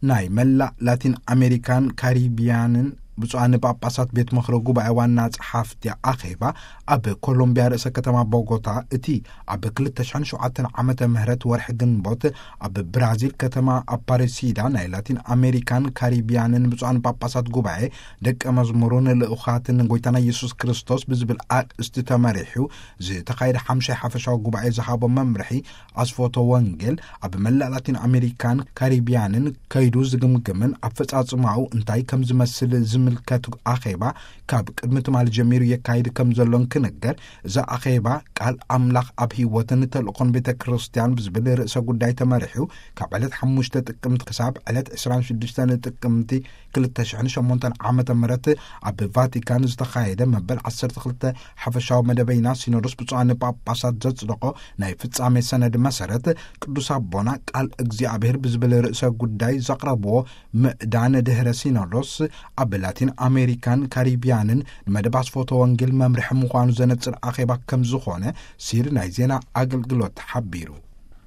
ናይ መላእ ላቲን ኣሜሪካን ካሪቢያንን ብፁዓን ጳጳሳት ቤት ምኽሪ ጉባኤ ዋና ጸሓፍቲ ኣኼባ ኣብ ኮሎምቢያ ርእሰ ከተማ ቦጎታ፣ እቲ ኣብ ክልተ ሽሕን ሸውዓተን ዓመተ ምህረት ወርሒ ግንቦት ኣብ ብራዚል ከተማ ኣፓሬሲዳ ናይ ላቲን ኣሜሪካን ካሪቢያንን ብፁዓን ጳጳሳት ጉባኤ ደቀ መዝሙሩን ልኡኻትን ጎይታና ኢየሱስ ክርስቶስ ብዝብል ኣርእስቲ ተመሪሑ ዝተኻየደ ሓምሻይ ሓፈሻዊ ጉባኤ ዝሃቦ መምርሒ ኣስፎቶ ወንጌል ኣብ መላእ ላቲን ኣሜሪካን ካሪቢያንን ከይዱ ዝግምግምን ኣፈጻጽማኡ እንታይ ከም ዝመስል ዝምልከት ኣኼባ ካብ ቅድሚ ትማሊ ጀሚሩ የካይድ ከም ዘሎን ክንገር፣ እዚ ኣኼባ ቃል ኣምላኽ ኣብ ህይወትን ተልእኾን ቤተ ክርስቲያን ብዝብል ርእሰ ጉዳይ ተመሪሑ ካብ ዕለት ሓሙሽተ ጥቅምቲ ክሳብ ዕለት ዕስራን ሽዱሽተን ጥቅምቲ ክልተ ሽሕን ሸሞንተን ዓመተ ምህረት ኣብ ቫቲካን ዝተኻየደ መበል ዓሰርተ ክልተ ሓፈሻዊ መደበይና ሲኖዶስ ብፁዓን ጳጳሳት ዘጽደቖ ናይ ፍጻሜ ሰነድ መሰረት፣ ቅዱስ ኣቦና ቃል እግዚኣብሔር ብዝብል ርእሰ ጉዳይ ዘቕረብዎ ምዕዳን ድህረ ሲኖዶስ ኣብ ላቲን ኣሜሪካን ካሪቢያንን ንመደብ ኣስፎቶ ወንጌል መምርሒ ምዃኑ ዘነጽር ኣኼባ ከም ዝኾነ ሲር ናይ ዜና ኣገልግሎት ሓቢሩ።